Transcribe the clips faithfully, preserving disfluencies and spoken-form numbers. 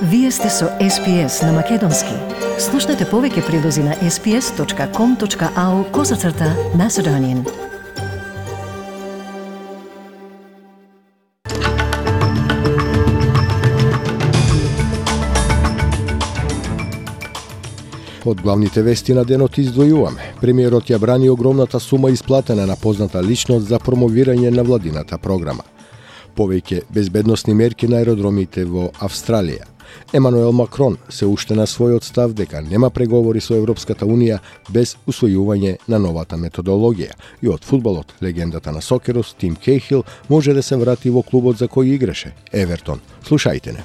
Вие сте со Ес Пи Ес на Македонски. Слушнете повеќе прилози на ес пи ес точка ком точка ау козацрта Macedonian. Од главните вести на денот издвојуваме. Премиерот ја брани огромната сума исплатена на позната личност за промовирање на владината програма. Повеќе безбедносни мерки на аеродромите во Австралија. Емануел Макрон се уште на својот став дека нема преговори со Европската Унија без усвојување на новата методологија. И од фудбалот, легендата на сокерот Тим Кейхил може да се врати во клубот за кој играше, Евертон. Слушајте не.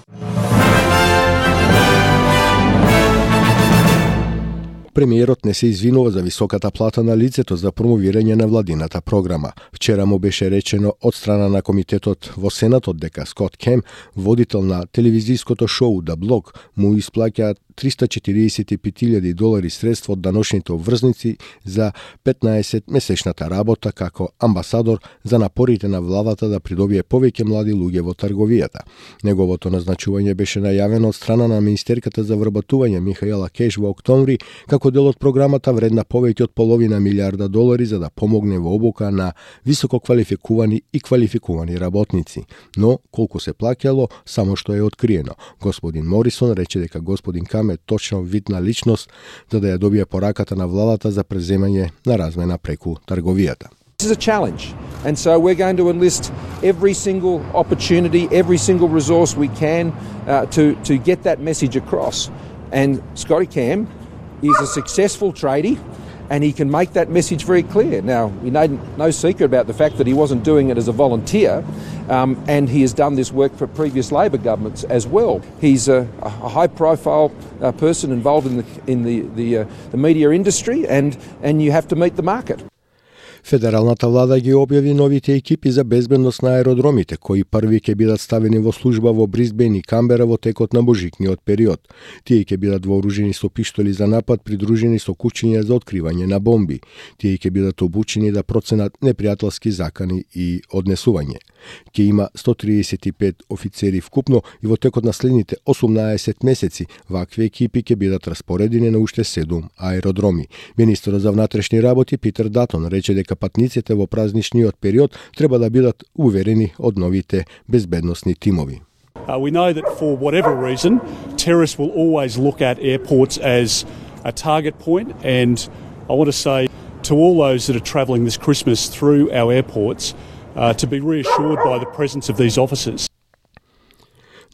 Премиерот не се извинува за високата плата на лицето за промовирање на владината програма. Вчера му беше речено од страна на комитетот во Сенатот дека Скот Кем, водител на телевизиското шоу The Block, му исплаќаат триста четириесет и пет илјади долари средства од даношните обврзници за петнаесет месечната работа како амбасадор за напорите на владата да придобие повеќе млади луѓе во трговијата. Неговото назначување беше најавено од страна на министерката за вработување Михаела Кеш во октомври како дел од програмата вредна повеќе од половина милиарда долари за да помогне во обука на високо квалификувани и квалификувани работници. Но колку се плаќало, само што е откриено. Господин Морисон рече дека господин Кам е точно видна личност за да ја добие пораката на владата за преземање на размена преку трговијата. This is a challenge, and so we're going to enlist every single opportunity, every single resource we can uh, to to get that message across. And Scotty Cam is a successful tradie, and he can make that message very clear. Now, we know no secret about the fact that he wasn't doing it as a volunteer, um, and he has done this work for previous Labor governments as well. He's a, a high-profile uh, person involved in the in the the, uh, the media industry, and and you have to meet the market. Федералната влада ги објави новите екипи за безбедност на аеродромите, кои први ќе бидат ставени во служба во Брисбен и Камбера во текот на божикниот период. Тие ќе бидат вооружени со пиштоли за напад, придружени со кучиња за откривање на бомби. Тие ќе бидат обучени да проценат непријателски закани и однесување. Ќе има сто триесет и пет офицери вкупно и во текот на следните осумнаесет месеци вакви екипи ќе бидат распоредени на уште седум аеродроми. Министерот за внатрешни работи Питер Датон рече дека патниците во празничниот период треба да бидат уверени од новите безбедносни тимови. Uh, we know that for whatever reason, terrorists will always look at airports as a target point, and I want to say to all those that are travelling this Christmas through our airports uh, to be reassured by the presence of these officers.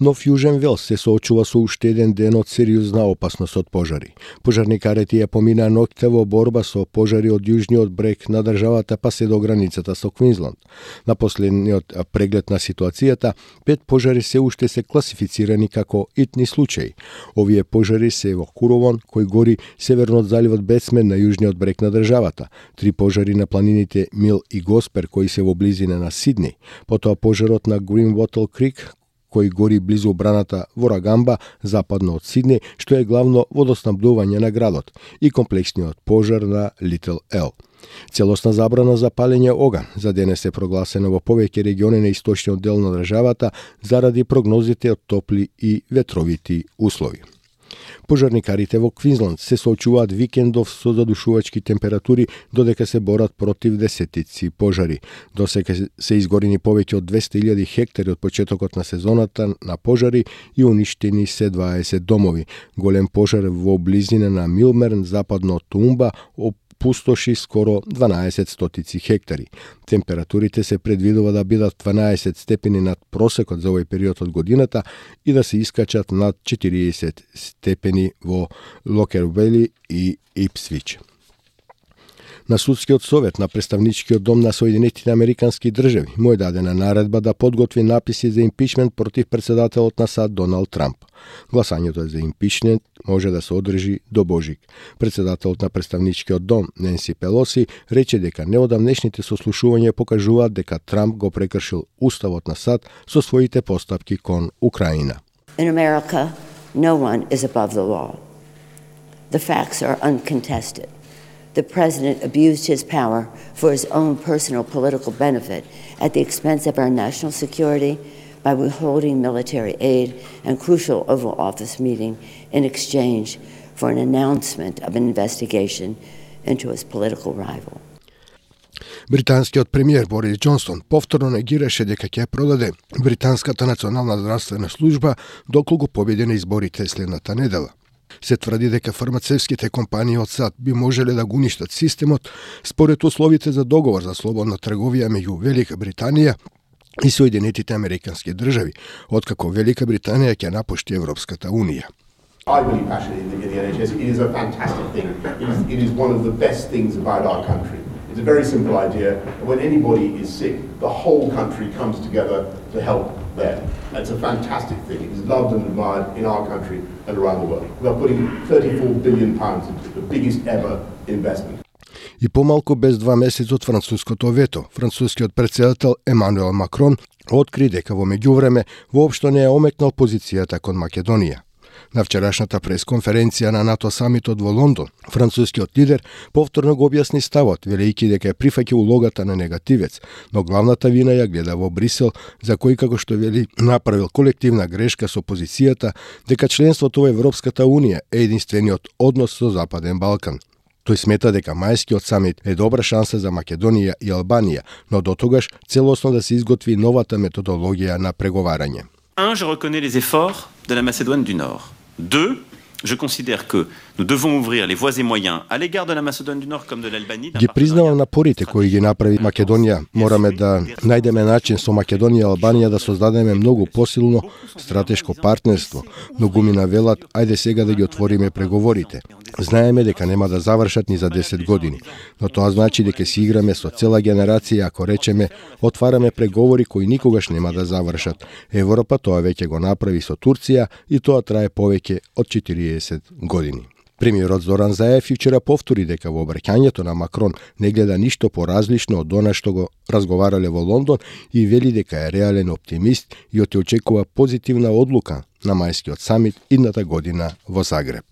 Нов Јужен Велс се соочува со уште еден ден од сериозна опасност од пожари. Пожарникарите ја поминаа ноќта во борба со пожари од јужниот брег на државата па се до границата со Квинсланд. На последниот преглед на ситуацијата, пет пожари се уште се класифицирани како итни случаи. Овие пожари се во Куровон, кој гори северно од заливот Бетсмен на јужниот брег на државата, три пожари на планините Мил и Госпер кои се во близина на Сиднеј, потоа пожарот на Гринвотл Крик кој гори близу браната во Рагамба, западно од Сиднеј, што е главно водоснабдување на градот, и комплексниот пожар на Литл Ел. Целосна забрана за палење оган за денес е прогласена во повеќе региони на источниот дел на државата заради прогнозите од топли и ветровити услови. Пожарникарите во Квинсланд се соочуваат викендов со задушувачки температури додека се борат против десетици пожари. Досега се изгорени повеќе од двесте илјади хектари од почетокот на сезоната на пожари и уништени се дваесет домови. Голем пожар во близина на Милмерн, западно од Тумба, пустоши скоро дванаесет стотици хектари. Температурите се предвидува да бидат дванаесет степени над просекот за овој период од годината и да се искачат над четириесет степени во Локервели и Ипсвич. На Судскиот совет на Представничкиот дом на Соединетите Американски држави му е дадена наредба да подготви написи за импичмент против председателот на САД Доналд Трамп. Гласањето за импичмент може да се одржи до Божик. Председателот на Представничкиот дом Ненси Пелоси рече дека неодамнешните сослушувања покажуваат дека Трамп го прекршил уставот на САД со своите постапки кон Украина. In America, no one is above the law. The facts are uncontested. The president abused his power for his own personal political benefit at the expense of our national security, by withholding military aid and crucial Oval Office meeting in exchange for an announcement of an investigation into his political rival. Британскиот премиер Борис Џонсон повторно негираше дека ќе продаде британската национална здравствена служба доколку победи на изборите следната недела. Се тврди дека фармацевските компании од САД би можеле да го уништат системот според условите за договор за слободна трговија меѓу Велика Британија и Соединетите Американски држави, откако Велика Британија ќе напушти Европската Унија. I believe passionately in the N H S. It is a fantastic thing. It is, it is one of the best things about our country. It's a very simple idea. When anybody is sick, the whole country comes together to help them. It's a fantastic thing. It is loved and admired in our country and around the world. We are putting thirty-four billion pounds into it, the biggest ever investment. И помалку без два месеци од француското вето, францускиот претседател Емануел Макрон откри дека во меѓувреме воопшто не е омекнал позицијата кон Македонија. На вчерашната пресконференција на НАТО самитот во Лондон, францускиот лидер повторно го објасни ставот, велејќи дека прифаќа улогата на негативец, но главната вина ја гледа во Брисел, за кој, како што вели, направил колективна грешка со позицијата дека членството во Европската Унија е единствениот однос со Западен Балкан. Тој смета дека мајскиот самит е добра шанса за Македонија и Албанија, но дотогаш целосно да се изготви новата методологија на преговарање. Un, je reconnais les efforts de la Macédoine du Nord. Deux, je considère que nous devons ouvrir les voies et moyens à l'égard de la Macédoine du Nord comme de l'Albanie. Ги признавам напорите кои ги направи Македонија. Мораме да најдеме начин со Македонија и Албанија да создадеме многу посилно стратешко партнерство. Многу ми навелат, ајде сега да ги отвориме преговорите. Знаеме дека нема да завршат ни за десет години, но тоа значи дека си играме со цела генерација ако речеме отвараме преговори кои никогаш нема да завршат. Европа тоа веќе го направи со Турција и тоа трае повеќе од четириесет години. Премиерот Зоран Заев вчера повтори дека во обраќањето на Макрон не гледа ништо поразлично од она што го разговарале во Лондон и вели дека е реален оптимист и оти очекува позитивна одлука на мајскиот самит идната година во Загреб.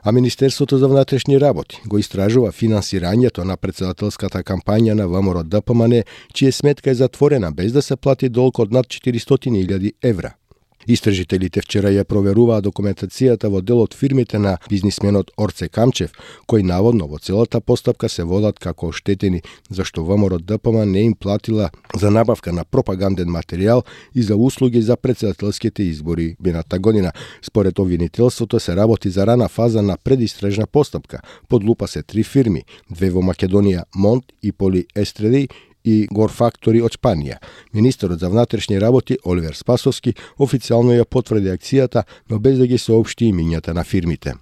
А Министерството за внатрешни работи го истражува финансирањето на претседателската кампања на ВМРО Д П М Н, чија сметка е затворена без да се плати долг од над четиристотини илјади евра. Истражителите вчера ја проверуваа документацијата во дел од фирмите на бизнисменот Орце Камчев, кој наводно во целата постапка се водат како оштетени, зашто ВМРО Д П М не им платила за набавка на пропаганден материјал и за услуги за претседателските избори мината година. Според обвинителството се работи за рана фаза на предистражна постапка. Под лупа се три фирми, две во Македонија, Монт и Поли Естреди, и Горфактори од Шпанија. Министерот за внатрешни работи Оливер Спасовски официјално ја потврди акцијата, но без да ги соопшти имињата на фирмите.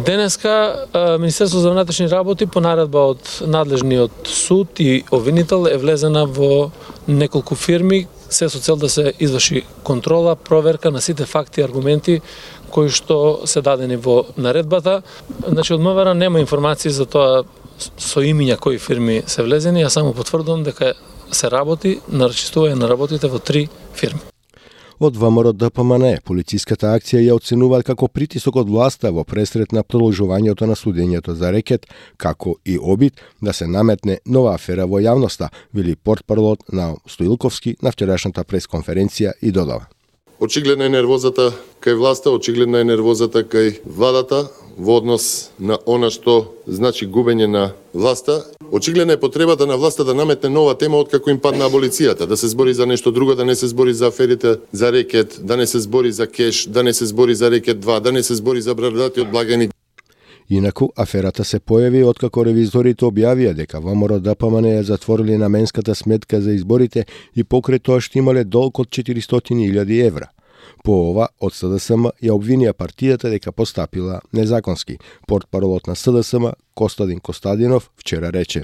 Денеска Министерството за внатрешни работи по наредба од надлежниот суд и обвинител е влезена во неколку фирми, се со цел да се изврши контрола, проверка на сите факти и аргументи кои што се дадени во наредбата. Значи од МВР нема информации за тоа со имиња кои фирми се влезени, ја само потврдувам дека се работи на рачистување на работите во три фирми. Од ВМРО Д П М Н полициската акција ја оценуваат како притисок од власта во пресрет на продолжувањето на судењето за рекет, како и обид да се наметне нова афера во јавноста, вели портпаролот на Стоилковски на вчерашната пресконференција и додава. Очигледна е нервозата кај власта, очигледна е нервозата кај владата во однос на она што значи губење на власта. Очигледна е потребата на власта да наметне нова тема откако им падна аболицијата, да се збори за нешто друго, да не се збори за аферите за рекет, да не се збори за кеш, да не се збори за рекет два, да не се збори за брадатиот благајник. Инаку, аферата се појави откако ревизорите објавија дека ВМРО Д П М Н ја затворили наменската сметка за изборите и покрај тоа што имале долг од четиристотини илјади евра. По ова, од С Д С М ја обвинија партијата дека постапила незаконски. Портпаролот на С Д С М, Костадин Костадинов, вчера рече: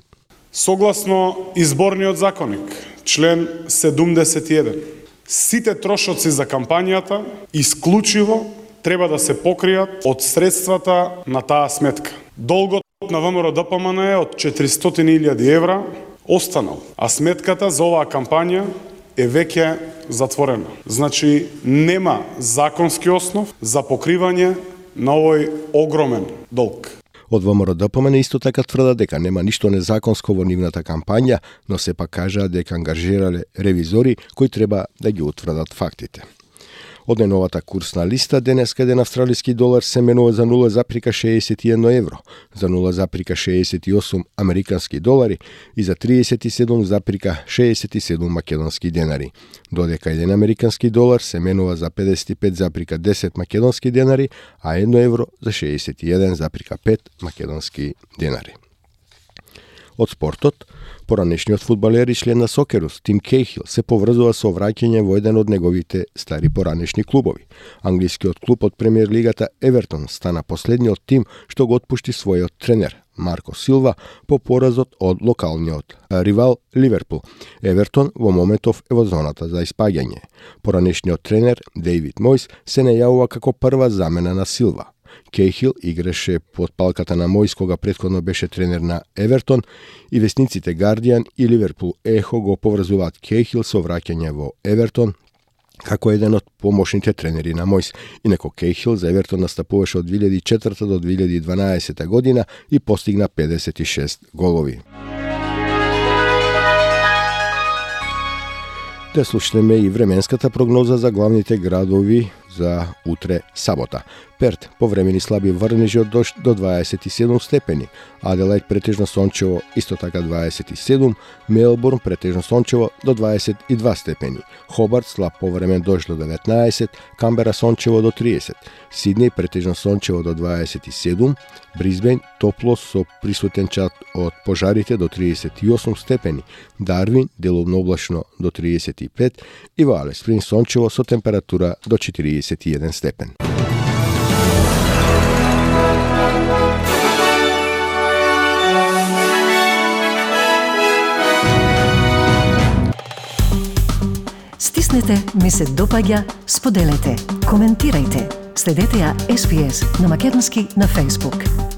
Согласно изборниот законник, член седумдесет и еден, сите трошоци за кампањата исклучиво треба да се покријат од средствата на таа сметка. Долгот на ВМРО Д П М Н е од четиристотини илјади евра останал, а сметката за оваа кампања е веќе затворена. Значи, нема законски основ за покривање на овој огромен долг. Од ВМРО-ДПМН исто така тврдат дека нема ништо незаконско во нивната кампања, но сепак кажаат дека ангажирале ревизори кои треба да ги утврдат фактите. Од најновата курсна листа, денеска еден австралиски долар се менува за нула запирка шеесет и едно евро, за нула запирка шеесет и осум американски долари и за триесет и седум запирка шеесет и седум македонски денари, додека еден американски долар се менува за педесет и пет запирка десет македонски денари, а едно евро за шеесет и еден запирка пет македонски денари. Од спортот, поранешниот фудбалер и член на Сокерус, Тим Кейхил, се поврзува со враќање во еден од неговите стари поранешни клубови. Англискиот клуб од премиер лигата Евертон стана последниот тим што го отпушти својот тренер, Марко Силва, по поразот од локалниот ривал Ливерпул. Евертон во моментов е во зоната за испаѓање. Поранешниот тренер, Дейвид Мојс, се најавува како прва замена на Силва. Кейхил играше под палката на Мојс кога претходно беше тренер на Евертон и весниците Guardian и Ливерпул Ехо го поврзуваат Кейхил со враќање во Евертон како еден од помошните тренери на Мојс. Инако Кейхил за Евертон настапуваше од две илјади и четврта до две илјади и дванаесета година и постигна педесет и шест голови. Да слушнеме и временската прогноза за главните градови за утре сабота. Перт повремени слаби врнежи од дожд до дваесет и седум степени, Аделајд претежно сончево исто така дваесет и седум, Мелбурн претежно сончево до дваесет и два степени, Хобарт слаб повремен дожд до деветнаесет, Камбера сончево до триесет, Сиднеј претежно сончево до дваесет и седум, Брисбејн топло со присутен чат од пожарите до триесет и осум степени, Дарвин делумно облачно до триесет и пет и во Алис Спрингс сончево со температура до четириесет и еден степен. Стиснете, ми се допаѓа, споделете, коментирајте. Следете ја Ес Би Ес на македонски на Facebook.